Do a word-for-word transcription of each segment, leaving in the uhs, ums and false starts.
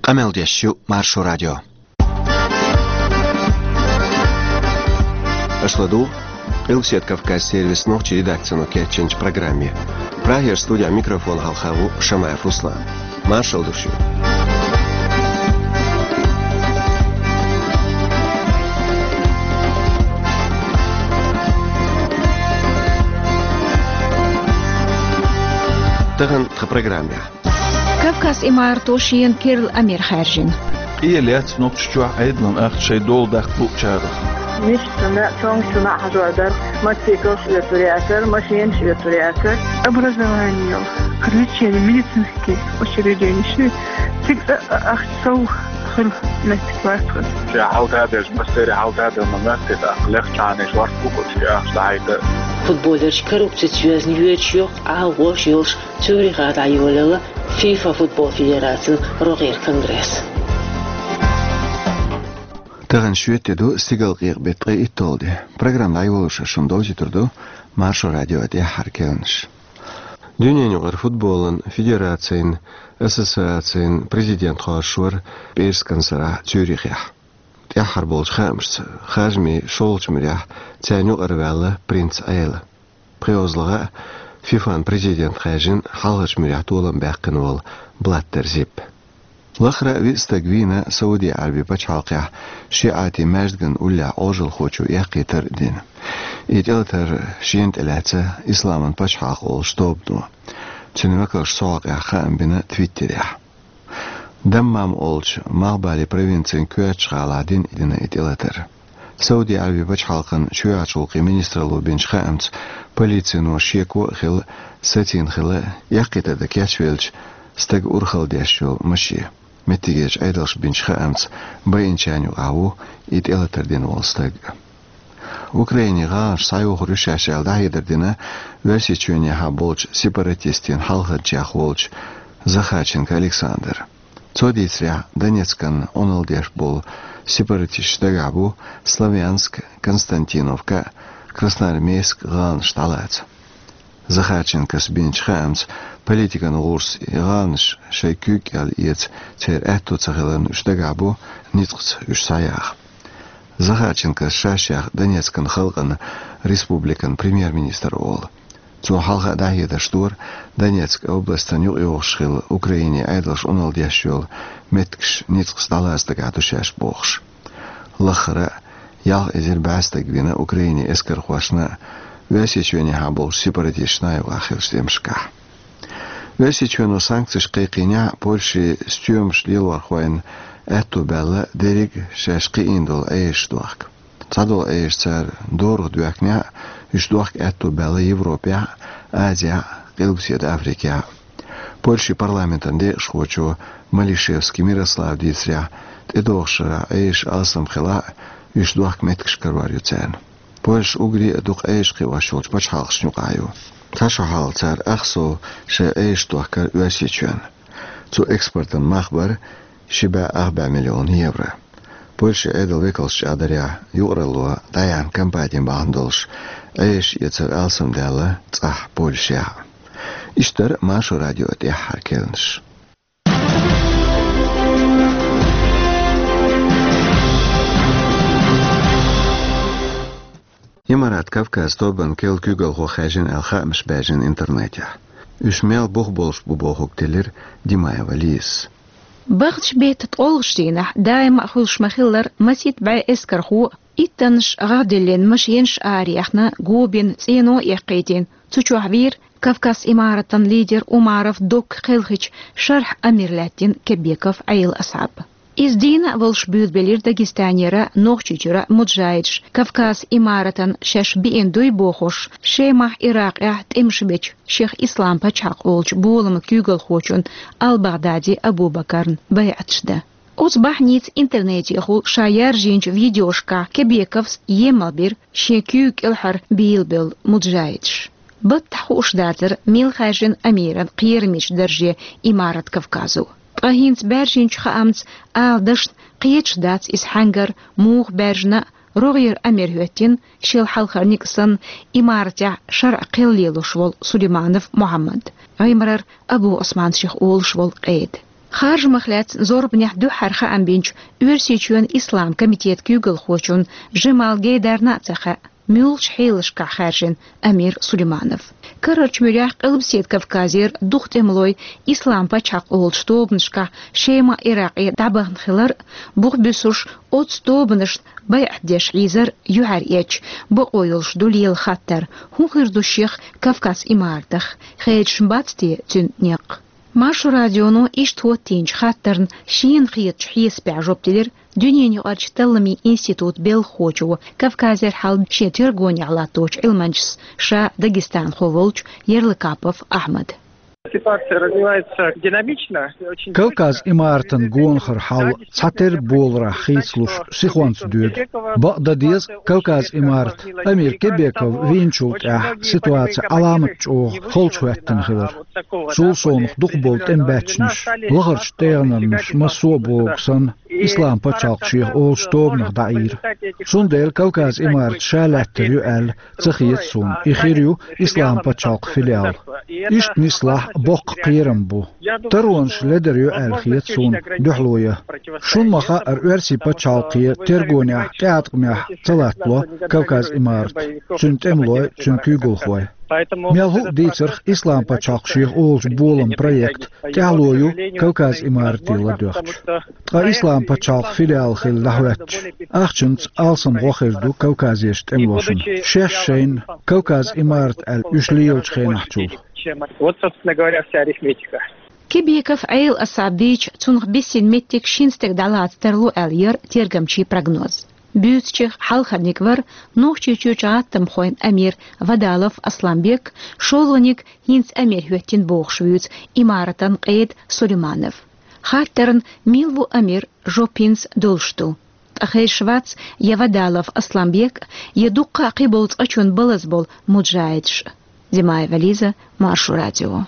Къамел деш ю Маршо радио. Аша ладугӀу Къилбаседа Кавказан сервисан нохчийн редакцино кечйинчу программе. Прагера студехь микрофон хьалха ву Шамаев Руслан. Маршалла ду шуьга. Тахана тхан программехь. Кавказ имарато шена керла амир хаьржина. Къе лаьцна Нохчийчохь Ӏедалан ахча шайн дола даккха луучарах. Мишта цунна, цуьнга цунна хьажор дара, мотоциклаш оьцур яцара, машинаш оьцур яцара. Образование, лечение, медицинские учреждения, цига а, а, ахча сов хила меттиг вац хӀара. Ша хьалта а дерш, массеран хьалта а дан ма моьтту, тӀаккха лехча хьанаш ворхӀ бу кху чу ахча дӀахьайта. Футболерш коррупцица йоьзна йоьдуш йоккха агӀош йолуш Цюрихехь дӀайолаелла ФИФА футбол федерацин рогӀера конгресс. Тахана шоьтан де ду, стигалкъекъа беттан ткъе итталгӀа де. Программа дӀайолош шуна довзуьйтур ду Маршо радион тӀаьххьара керланаш. Дуьненаюкъара футболан федерацийн ассоциацин президент кхоссавора пӀераскан сарахь Цюрихехь. ТӀаьххьара болчу хаамашца, харжамийн шолгӀачу муьрехь царна юкъара ваьлла принц Ӏела. ПхоьалгӀа а ФИФАн президент хаьржина хьалхарчу муьрехь толам баьккхина волу Блаттер Зиппа. Лахара а виъ стаг вийна Сауди Ӏаьрбийн пачхьалкхехь шиӀатийн маьждиган уллехь Ӏожалхочо эккхийтар а дина. И тӀелатар шена тӀелаьцна Исламан пачхьалкх олучу тобано. Цуьнан векалша цу хьокъехь хаам бина Твиттерехь. Даммам олучу Малхбален провинцин коьртачу гӀалахь дина и дина и тӀелатар. Сауди Ӏаьрбийн пачхьалкхан чоьхьарчу гӀуллакхийн министралло бинчу хаамца, полицино шеко а хилла, сацийна хилла эккхийтар дан кечвеллачу стага урхалла деш йолу машен. Меттигерчу Ӏедалша бинчу хаамца, байинчарна юкъахь ву и тӀелатар дина волу стаг. Украинин гӀаланаш схьайохур ю шаьш аьлла дӀахьедар дина Оьрсийчоьнехьа болчу сепаратистийн хьалханчех волчу Захарченко Александра. Цо дийцарехь, Донецкан Ӏуналла деш болу сепаратисташ дагахь бу Славянск, Константиновка, Красноармейск гӀаланаш дӀалаца. Захарченкос бинчу хаамца, политикан гӀурас и гӀаланаш шайн куьйга кӀел эца церан аьтто ца хиларна уьш дагахь бу ницкъаца уьш схьаяха. Захарченкос ша-шех Донецкан халкъан республикан премьер-министр олу. Цо хьалха а дӀахьедарш дора, Донецк областан юкъайогӀуш хилла Украинин Ӏедалша Ӏуналла деш йолу меттигаш ницкъаца дӀалаца дагахь ду шаьш бохуш. Лаххара а ялх эзар бӀе стаг вина Украинин эскархошна а, Оьрсийчоьнехьа болчу сепаратисташна а юкъахь хиллачу тӀемашкахь. Оьрсийчоьно санкцеш кхайкхийнехь а, Польшин стоьмаш лелорхойн аьтто баьлла дерриг а шаьш кхиийна долу Ӏежаш дохка. Цхьадолу Ӏежаш цара дорах доьхкинехь а, уьш дохка аьтто баьлла Европехь а, Азехь а, Къилбаседа Африкехь а. Польшин парламентан декъашхочо Малишевский Мирослава дийцарехь, тӀедогӀучу шарахь Ӏежаш алсам хилахь а, уьш дохка меттигаш карор ю царна. Польша уггаре а дукха Ӏежаш кхиош йолчу пачхьалкхашна юкъахь ю. Цхьа шо хьалха цара ах сов шайн Ӏежаш дохкара Оьрсийчоьнна. Цу экспортан мах бара ши бӀе ах бӀе миллион евро. Польшин Ӏедалан векалша чӀагӀдарехь, юкъаралло дӀаяьхьна компани бахьана долуш, Ӏежаш эцар алсамдаьлла цӀахь Польшехь а. Иштта дара Маршо радион тӀаьххьара керланаш. Имарат Кавказ тобанан керла куьйгалхо хаьржина аьлла хаамаш баьржина интернетехь. Уьш мел бух болуш бу бохург теллира Димаева Лизас. Бахча беттан ткъолгӀачу дийнахь даима а хуьлуш ма-хиллара, масийтта бӀе эскархо, иттаннаш гӀагӀ диллина машенаш араяьхна, го бина, цӀено а эккхийтина, цу чохь вийра Кавказ имаратан лидер Умаров Докка кхелхича шарахь амир лаьттина Кебеков Ӏела Асхьаб. Иза дийна а волуш буьйлабелира Дагестанера, Нохчийчуьра муджахидаш Кавказ имаратан шаьш биъна дуй бохуш, Шемахь, Иракъехь тӀемаш бечу шех Ислам пачхьалкх олучу боламан куьйгалхочун Ал-Багъдади Абу-Бакарна байӀаташ дан. Оцу бахьаница интернетехула ша яржийначу видеошкахь Кебековс емал бира шен куьйга кӀелхьара бийлабелла муджахидаш. Баттахь хууш дацара мила хаьржина амиран кхерамечу дарже Имарат Кавказо. Ткъа хӀинца баьржинчу хаамца ала дашна кхеташ дац иза хьаьнгара, муха баьржина а, рогӀера амир хӀоьттина шел хьалхара ника санна имаратехь шарӀ кхел лелош волу Сулейманов Мухьаммад, Ӏимрар Абу Ӏусман шех олуш волу къеда. Харжамах лаьцна зорбанехь дуьххьара хаам бинчу Оьрсийчоьнан Ислам комитетан куьйгалхочунна Жамал Гейдарна а ца хаьа, муьлхачу хьелашкахь хаьржина Амир Сулейманов. Карарчу муьрехь Къилбаседа Кавказера дукха тӀемалой Ислам пачхьалкх олучу тобанашкахь Шема, Иракъе дӀабахана хилар а, бух буьсуш оццу тобанашна байӀат деш хьийзар а юьхьар эцча, бакъо йолуш ду лела хаттар, хӀун хир ду шех Кавказ имаратах, хедаш бац те цуьнан некъ? Маршо радионо иштта хӀоттийначу хаттарна шена хетачу хьесапехь жоп делира дуьненаюкъарчу талламийн институтан белхахочо, Кавказера хьал шен тергонехь латточу Ӏилманчас, ша дагестанхо волчу Ярлыкапов Ахьмада. Ситуация развивается динамично, и очень Кавказ быстро. Имаратан гонахара хьал цхьатерра боларахь хийцалуш сихонца доьду. Бакъ дан деза, Кавказ имарат Амир Кебеков вийначул тӀаьхьа ситуаци Ӏаламат чӀогӀа холчухӀоьттина хилар. Цул совнаха дукхахболу тӀемабаьччанаш лахарчу тӀегӀанарнаш массо а богу санна, Ислам пачхьалкх шех олучу тобанах дӀаийра. Цундела Кавказ имарат ша лаьттар ю аьлла ца хета суна, и хир ю Ислам пачхьалкх филиал. Иштта нислахь боккха кхерам бу. Таронаш ледар ю аьлла хета суна дуьхьало ян. Шуна ма-хаъара, Оьрсийн пачхьалкхе тергонехь тӀеӀаткъамехь ца латтало Кавказ имарат, цуьнан тӀемалой, цуьнан куьйгалхой. Мел хӀуъа дийцарх, Ислам пачхьалкх шех олучу болан проект тӀаьхьало ю Кавказ имарате ладоьгӀча. Ткъа Ислам пачхьалкх филиал хилла дӀахӀоьттича, ахчанца алсам гӀо хир ду Кавказерчу тӀемалошна. Шаьш шайна Кавказ имарат аьлла уьш лелачу хенахьчул. Вот, собственно говоря, вся арифметика. Кебеков Ӏела асаб вийча, цунах бисина меттиг шина стеган дӀалаца тарло аьлла яра тергамчийн прогноз. Буьйцучех хьалхарниг вара Нохчийчуьрчу гӀаттамхойн амир Вадалов Асланбек, шолгӀаниг хӀинца амир хӀоьттина бохуш вуьйцу имаратан къеда Сулейманов. Хаттарна, мила ву амир, жоп хӀинца долуш ду. Ткъа хезаш вац я Вадалов Асланбек, я дуккха а кхиболу цкъачунна балаза болу муджахӀидаш. Зимаева Лиза, Маршо радио.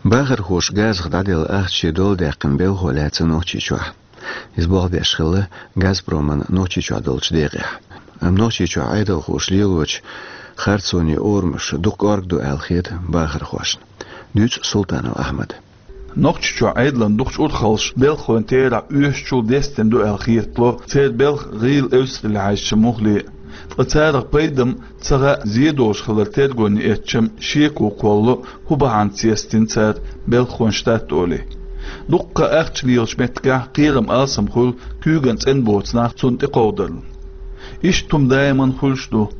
Бахархоша газах дӀаделла ахча шен дола даьккхина белхо лаьцна Нохчийчохь. Иза болх беш хилла «Газпроман» Нохчийчохь долчу декъехь. Амма Нохчийчохь Ӏедалхоша лелочу харцонийн орамаш дукха кӀорга ду аьлла хета бахархошна. Дуьйцу Султанов Ахьмада. Нохчийчохь Ӏедалан дукхачу урхаллаша белхалойн терахь оьшучул дестина ду аьлла хетало, церан белхан гӀийла эвсаралла хьаьжча муххале а. Ткъа царах пайда-м ца хаьа, зе долуш хилар тергонна эцча-м шеко кхоллало, хӀун бахьанца естина цара белхалойн штат олий. Дуккха а ахча лелачу меттигехь кхерам алсам хуьлу куьйган цӀена боцу нах цунна тӀекховдаларна. Иштта хӀума даиман хуьлуш ду.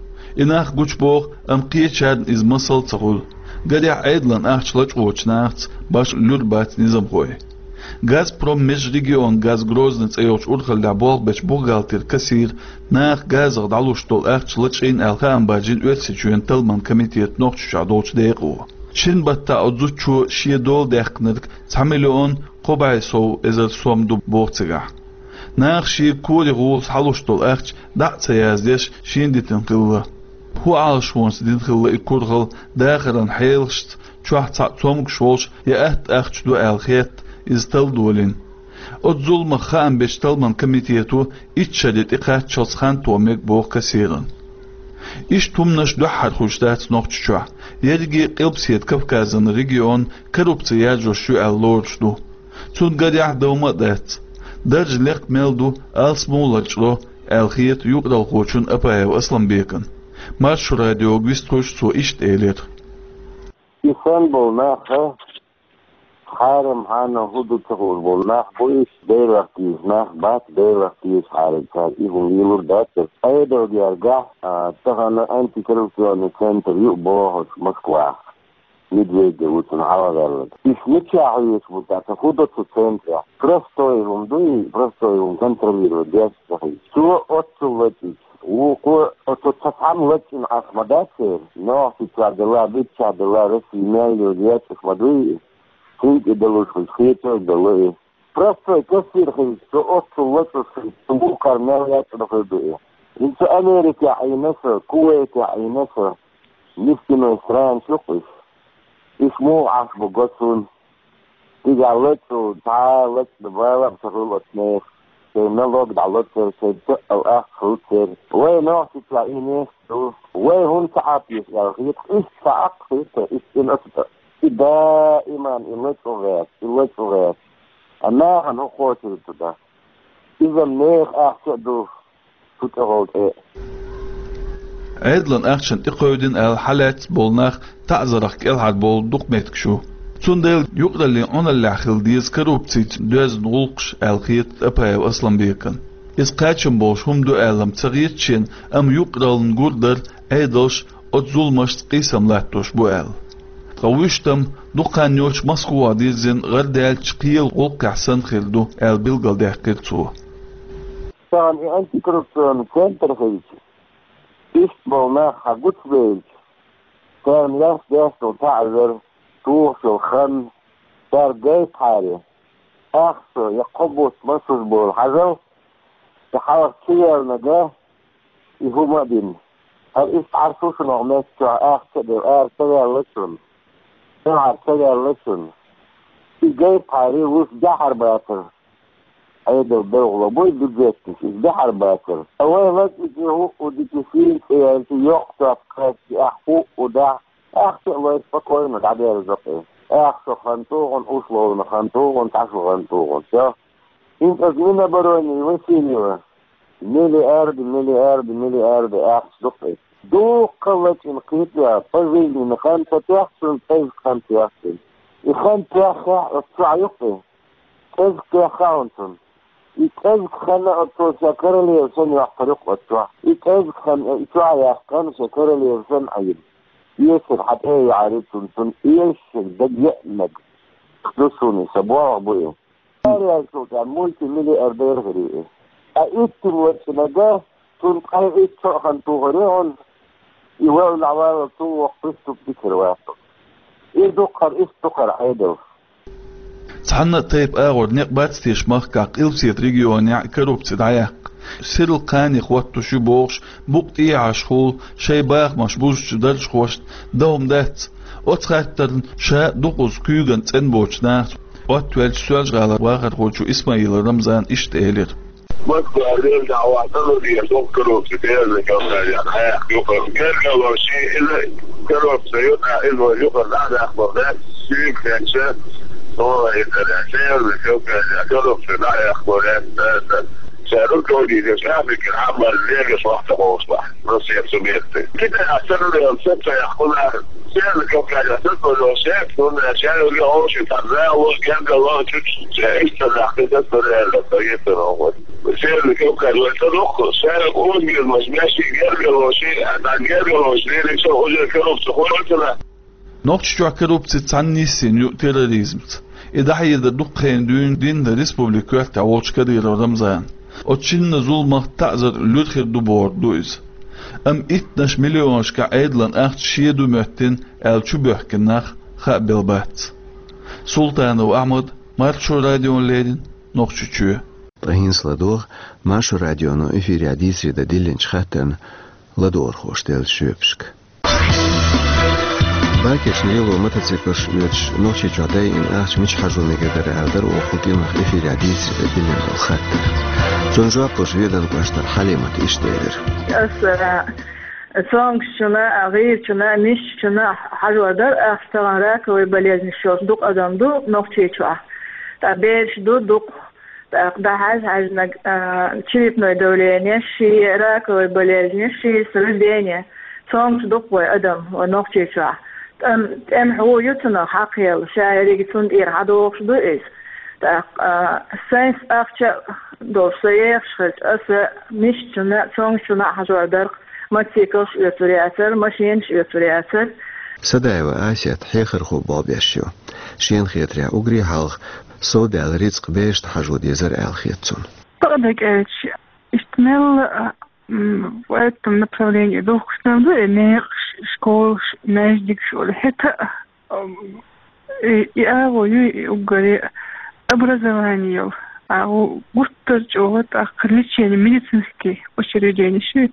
И нах гучубоху, амма кхечарна иза масал ца хуьлу. Гарехь, Ӏедалан ахча лачкъочу нахаца башха луьра бац низамхой. «Газпром межрегионгаз Грозный» цӀе йолчу урхаллехь болх бечу бухгалтера кассира наха газах дӀалуш долу ахча лачкъийна аьлла хаам баржийна Оьрсийчоьнан талламан комитетан Нохчийчохь долчу декъо. Шина баттахь оцу зудчо шен дола даьккхинарг цхьа миллион кхо бӀе сов эзар сом ду боху цигахь. Наха шега кори гӀуллакхца хьалуш долу ахча дӀа а ца яздеш, шена дитина хилла. ХӀун Ӏалашонца дина хилла и курхал, дахаран хьелашца чохь цхьаъ цомгуш волуш я атта ахча ду аьлла хетта, иза талла долийна. Оцу зуламах хаам бечу талламан комитето итт шаре тӀекхаччалц хан тоха мега боху кассирана. Иштта хӀуманаш дуьххьара хуьлуш дац Нохчийчохь. Ерриге Къилбаседа Кавказан регион коррупци яржош ю аьлла лоруш ду. Цунна гарехь, довма а дац. Даржа лекха мел ду, алсамо а лачкъадо, аьлла хета юкъаралхочунна Апаев Асланбекана. Маршо радиога вистхуьлуш цо иштта элира. И санна болу нах а, хьарам-хьанал хӀун ду ца хууш болу нах бу, уьш Делах деза нах бац, Делах деза хьарам цара и хӀума лелур дац. Ӏедалгергахь, а, тахана антикоррупционный центр ю а бохуш Москвахь. Медведев ву цунна хьалхаваьлларг. Уьш мичахь хьоьжуш бу, тӀаккха хӀун до цу центрехь? Простой хӀума ду и, простой хӀума контролировать деш ца хилча. Цо оццул лачкъийча, вукхо оцу цхьа цхьамма лачкъийна Ӏаш ма дац церан. Нохчийчохь делахь, биччахь делахь, Россия мел йолу лечкъаш ма дуй и. Цуьнга и далуш хуьлуш хетарг а далу и. Простой кассир хилча, цо оццул лачкъуш хилча, цу вукхара мел лечкъина хир ду и. ХӀинца Америкехь Ӏийна со, Кувайтехь Ӏийна со, нефтяной страна шу-кх уьш. Уьш муха Ӏаш бу го суна. Цигахь лачкъо, цхьа а лачкъа балам ца хуьлу оцу нехан. Шайн налог дӀало церан, шайн тоъал аккха хуьлу церан. Вай Нохчийчохь и нехан ду. Вай хӀунда ца Ӏаппеш аьлла хета, иштта ца Ӏаккха хета, иштта и оцу тӀе. И даиман и лачкъо гӀерта, и лачкъо гӀерта. А нахана хӀун кхочур ду туда? Иза меха ахча а ду, цу тӀехула тӀе. Ӏедалан ахчанна тӀекховдийна аьлла хьалаьцна болу нах таӀзарах кӀелхьарбовлу дукха меттигаш ю. Цундела юкъараллин Ӏуналлехь хила деза коррупцица доьзна гӀуллакхаш аьлла хета Тапаев Асланбекана. Иза кхачам болуш хӀума ду аьлла-м ца хета шена, амма юкъараллина гур дара Ӏедалш оцу зуламашца къийсам латтош бу аьлла. Ткъа вуьштам дукха хан йоцуш Москвахь дирзина гӀардаьллачу кхелан гӀуллакхехь санна хир ду аьлла билгалдаьккхира цо. Царна и антикоррупционный центр хилча, иштта болу нах хьан гучубевлча, царна яц деш долу таӀзар, тухуш йолу хан, цара гайта хьаре, ахча я кхо бутт масуш болу хьажал, и хьалха чу яьллинарг, и хӀума а бина. ХӀара иштта Ӏаш ву шуна оха меттачохь ахча а девлла, ара ца ваьлла шуна. Цу хьара ца ваьлла шуна. И гайта хьаре, вуьш дехьар бацара. Ӏедал белхало буй бюджетнаш, иза дехьар бацара. А вай лазкъичу хӀуъу дитишийна цӀе яьлча, йоккха топ кхаьчча, ахь хӀуъу дахь, ахча а лой спокойно дӀадерзо-кх. Ахча хан тухун, условно хан тухун, тхьашо хан тухун. Всё. ХӀинца аса Минобороны Васильева миллиарды, миллиарды, миллиарды ахча ду-кх. Дуккха лачкъийна кхетаваьлла, пожизненный хан ца тоьхна цунна, кӀезиг хан тоьхна цунна. И хан тоьхнехь оцу чохь ю-кх и. КӀезиг тоьхна хьуна цунна. И кӀезиг хан оцо шен королева санна йоккхур ю-кх оцу чохь. И кӀезиг хан и чохь яьккхина шен королева санна Ӏийна. Эсар хьан тӀе а яьхьира цунна, цунна эшарг дага еанарг. Ду шуна, сан болх бу и. Цара яьлчул тӀаьхьа мультимиллиардер хир ю и. Ткъа иттанна лачкъинарг, цунна ткъе итт шо а хан тухур ю хьуна, и валла дӀаваллал цул воккха преступник хир вац. И ду-кх хӀара, иштта ду-кх хӀара Ӏедал. Цхьанна а тайпа агӀор некъ бац теша махкахь Къилбаседа регионехь коррупци дӀаяккха. Сирла кхане хӀоттош ю бохуш, букъ тӀехьашхула шайн бахамаш бузучу даржхошна дан хӀума дац. Оцу хаттарна ша дукхазза куьйган цӀена боцучу нахаца Оттавеллачу Соьлжа-ГӀалара вахархочо Исмаилов Рамзана иштта элира. Москва лела дӀа а вахана, лела дукха коррупци, Северный Кавказе дӀаяккха юкъара. Гергарло шен иза коррупци ю, иза вай юкъара дӀа а даккхалур дац, шуьга хетча, ола иза, Северный Кавказе коррупци дӀа а яккхалур дац, ша руководитель Африки, Ӏамал легаш вахта гӀовсла. Россия субъекты. Китай а царна вен саца яхуна, Северный Кавказе саца вен шек, ну, на чай уже очень таза, вот, герга, вот, чуть-чуть, чай, что нахуй, это реально, то есть, ну, вот. Северный Кавказ, вот, это, ну, шара, он, герга, вот, мящий, герга, вот, а на герга, вот, решил уже коррупцию, вот, это. Нохчийчохь коррупци цхьаьна йиссина ю терроризмца. И дӀахьедар дукха хенахь дуьйна дина республикан коьртехь волчу Кадыров Рамзана. Оцу шинна зуламах таӀзар луьра хир ду бохург ду иза. Амма иттаннаш миллионашкахь Ӏедалан ахча шен ду моьттина аьлла чубоьхкина нах хаа белла бац. Султанов Ахьмад, Маршо радиона леррина, Нохчийчоь. Ткъа хӀинца ладогӀа Маршо радионо эфирехь дийцаре дан диллинчу хаттарна ладогӀархоша деллачу жоьпашка. Бакеш лело мотоциклаш оьцуш Нохчийчохь дайина ахча мича хьажо мегар дара аьлла дара оха кху кӀиранах эфирехь дийцаре дан диллина долу хаттар. Цунна жоп луш Веданан кӀоштара Хьалимата иштта элира. Аса, а, цомгушчунна, а, гӀирачунна, мишачунна хьажор дара ахча, тахана раковый болезнаш йолуш дукха адам ду Нохчийчохь. ТӀаккха бераш ду дукха. ТӀаккха дӀахьаьж-хьаьжнарг, а, черепное давление, ши раковая болезнь, ши с рождения. Цомгуш дукха вай адам, вай Нохчийчохь. ТӀем-, тӀеман хьу ю цунах хьакхъелла, ша ерриге цунна тӀера хьадогӀуш ду иза. ТӀаккха, а, сайнца ахча долуш со ехаш хилча, аса мишачунна, цомгушчунна а хьажор дара-кх, мотоциклаш оьцур яцара, машинаш оьцур яцара. Садаева Асет хьехархо болх беш ю. Шена хетарехь, уггаре хьалха совдаьлла рицкъ берашна хьажо дезара аьлла хета цунна. Тахана кӀелча, иштта мелла а, м, в этом направлении духкуш ду и мекъаш, школаш, маьждигаш олу. ХӀета а, м, и, и агӀо ю и уггаре образование йолу. АгӀо гуттар а чӀогӀа тӀаккха лечение, медицинский учреждение шу,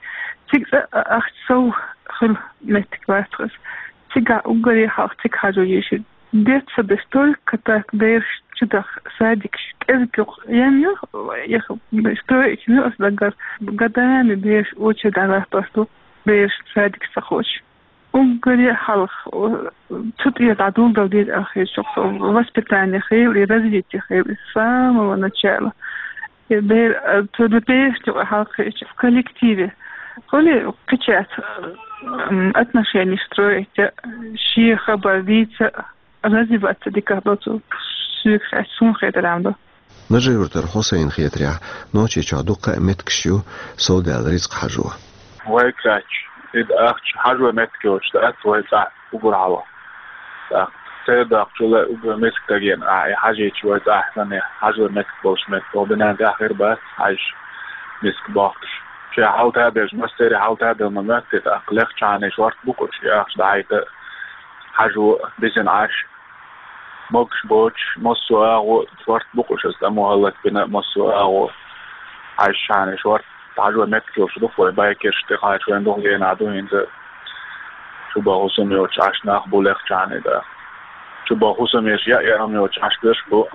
цига цкъа а ахча сов хила меттиг вац-кх иза. Цигахь уггаре хьалха цига хьажо дезаш. Детсадаш только так бераш чу даха, садикаш кӀезиг юкъа ем ю, их строить ю аса даггара. Годами бераш очередь дӀалаттош ду, бераш садикаш ца кхочуш. Уггаре хьалха, о, цу тӀера дӀадолдала деза аьлла хеташ, воспитание хилар, развитие хилар с самого начала. И бер, э, цу бер хьалха в коллективе. Хули кхечаьрца, м, отношения строить, шен хабар дийца, развиваться дика доцу суьгахь, суна хетарехь ду. Нажи-Юртара Хьусайна хетарехь, Нохчийчохь дуккха а меттигаш ю, совдаьлла рицкъ хьажо. Вай кхаьчча, и ахча хьажо меттиг йоцуш дац вай цӀахь уггар хьалха. ТӀаккха церан доккхачул а уггар миска дагийна ахь и хьажийча вай цӀахь санна хьажо меттиг болуш меттиг. Оха бинан тӀехь хир бац хьаьжча миска бохкуш. Шен хьалта а беш, массеран хьалта а бела ма моьтту, тӀаккха легӀчхьана шорта бу-кх уьш, и ахча дӀахьайта а, хьажо а, бисина Ӏаш а. Могуш боцуш, массо а агӀо шорта бу-кх уьш, аса тӀамо хӀаллакбина а, массо а агӀо хьаьжчхьана шорта хьажо меттиг йолуш ду-кх вай байкерш, тӀекхача вайн дукха генахь ду хӀинца чубаха хӀусам йоцуш Ӏаш нах бу легӀчхьана, да. Чубаха хӀусам еш яа яа хӀума йоцуш Ӏаш берш бу,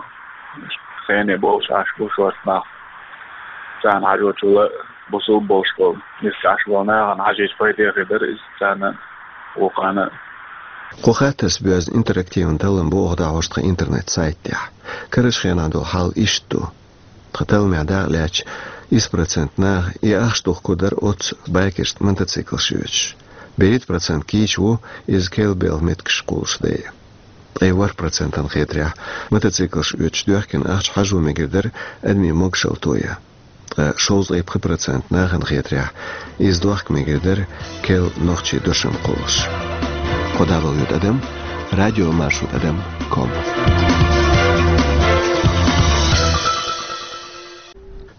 хене болуш Ӏаш бу шорта нах. Царна хьажочул а бусулба болуш болу, миска Ӏаш болу нахана хьажийча пайде хир дара иза царна, вукхана. Кху хаттарца боьзна интерактиван таллам бу оха дӀахьош тхан интернет-сайт тӀехь. Карарчу хенахь долу хьал иштта ду. Тхан талламехь дакъа лаьцча, исс процент наха и ахча духкур дара оццу байкершна мотоциклаш йоьдуш. БерхӀитта процент кийча ву иза керла белхан меттигаш кхуллуш дайа. Ткъе ворхӀ процентана хетарехь, мотоциклаш оьцуш доьхкина ахча хьажо мегар дара адамийн могушалла тоян. Ткъа шовзткъе пхи процент нахана хетарехь, иза дохка мегар дара керла нохчийн дошам кхуллуш. Кхо дӀабала ю тӀадам, радиомаршо тӀадам ком.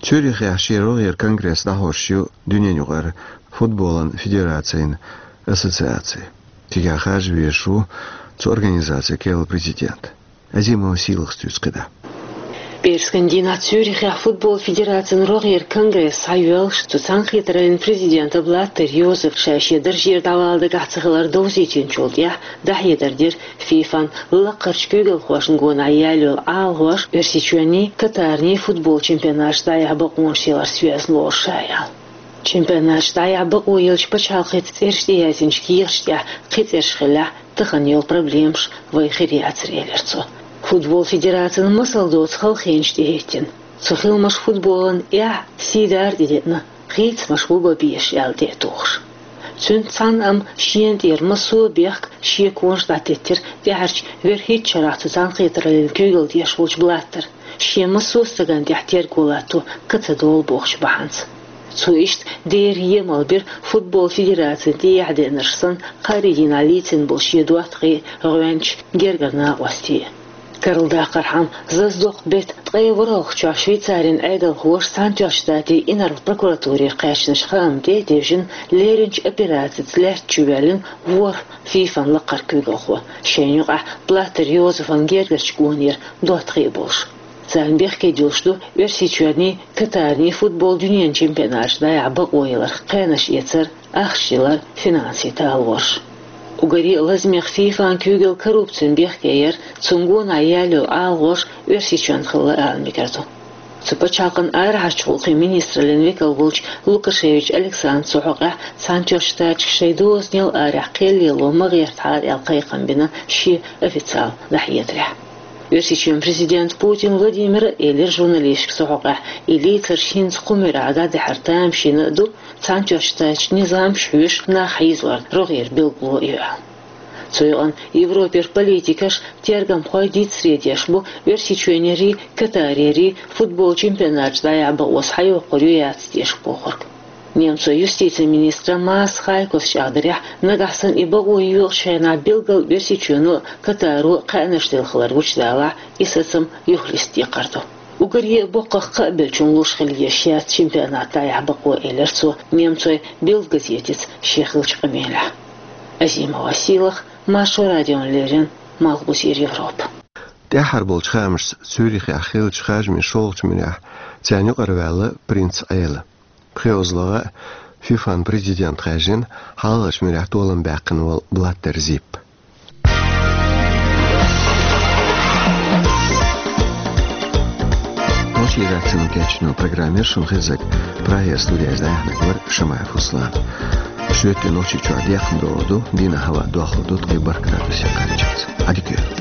Цюрихехь шен рогӀера конгресс дӀахьош ю дуьненаюкъара футболан федерацийн ассоциаци. Цигахь харжа везаш ву цу организацин керла президент. Азимова Сийлахас дуьйцу кхидӀа. Пхьерскан дийнахь Цюрихехь футбол федерацин рогӀера конгресс схьайоьллуш, цу цхьаьнакхетараллин президента Блаттер Йозефа ша шен даржера дӀавала дагахь ца хилар довзийтинчул тӀаьхьа дӀахьедар дира ФИФАн лаккхарчу куьйгалхошна гонах яьлла йолу ӀалагӀош Оьрсийчоьнний, Катарний футбол чемпионаташ дӀаяхьа бакъонаш яларца йоьзна лоруш ша аьлла. Чемпионаташ дӀаяхьа бакъо еллачу пачхьалкхица цӀераш тӀеяздинчу кехаташ тӀехь кхин цӀераш хиллехь, тахана йолу проблемаш вайн хир яцара, элира цо. Футбол федерацина масал доцу халахенаш тӀехӀиттина. Цу хиламаша футболан эхь, сий-дара тӀедеана, хийцамаш бу бан безаш аьлла тӀе а тухуш. Цуьнца цхьаьна амма шена тӀера массо а бехк, шеконаш дӀатеттира тӀаьхьарчу вуьрхӀитта шарахь цу цхьаьнакхетараллин куьйгалла деш волчу Блаттера, шен массо а стагана тӀехь терго латто ка ца долу бохучу бахьанца. Цо иштта дера емал бира футбол федерацина тӀехьа деанарш санна кхаарин дийнахь лийцина болу шен доттагӀий, гӀоьнчий, гергара накъостий. Карладаккхархьама, заздоккху беттан ткъе ворхӀалгӀачохь Швейцарин Ӏедалхоша Цхьаьнатоьхначу Штатийн инарла прокуратуре кхаьчначу хаамна тӀе а девжина, леринчу операцица лаьтта чу воьллина ворхӀ ФИФАн лаккхара куьйгалхо, шайна юкъахь Блаттер Йозефан гергарчу гонера доттагӀий болуш. Царна бехке дуьллуш ду Оьрсийчоьнний, Катарний футбол дуьненан чемпионаташ дӀаяхьа бакъо яларх кхаьнаш эцар, ахча ялар, финансийн талораш. Уггаре а лазамех ФИФАн куьйгалла коррупцина бехке яр, цунна гонах яьлла йолу ӀалагӀош Оьрсийчоьнан хилла ала мегар ду. Цу пачхьалкхан арахьарчу гӀуллакхийн министраллин векал волчу Лукашевич Александра цу хьокъехь Цхьаьнатоьхначу Штаташка шайн дозанел арахь кхел лело ма гӀертахьара аьлла кхайкхам бина шен официал дӀахьедарехь. Оьрсийчоьнан президента Путин Владимира элира журналисташка цу хьокъехь, и лийцарш хӀинца кху муьрехь дӀадахьар тамашийна а ду, Цхьаьнатоьхначу Штаташна низамаш хьоьшуш нах хьийзорна рогӀера билгало а ю аьлла. Цу юкъана Европера политикаш, тергамхой дицдаре деш бу Оьрсийчоьнерий, Катарерий футбол чемпионаташ дӀаяхьа бакъо схьайоккхур ю, яц дешаш бохург. Немцойн юстицин министра Маас Хайкос чӀагӀдарехь, нагахь санна и бакъо йоькъучу хенахь билггал Оьрсийчоьно а, Катаро а кхаьнаш делла хилар гучудалахь, и сацам юхалиста декхар ду. Уггаре а боккхах кхаъ беллачунна луш хила езаш яц чемпионат дӀаяхьа бакъо, элира цо Немцойн Бильд газетаца шен хиллачу къамелехь. Азимова Сийлаха, Маршо радиона леррина, Малхбузера Европа. ТӀаьххьара болчу хаамашца Цюрихехь хиллачу харжамийн шолгӀачу муьрехь царна юкъара ваьлла принц Ӏела. ПхоьалгӀа ФИФАн президент хаьржина хьалхарчу муьрехь толам баьккхина волу Блаттер Зипп. Нохчийн редакцино кечйина программа яра шуна хезнарг, Прагера студехь дӀаяьхьнарг вара Шамаев Руслан. Шуьйттан Нохчийчоа декхар доаладу, дийнахьа хӀаваъ доахалургда ткъаь бархӀ градусе кхаччалца. Ӏадика йойла.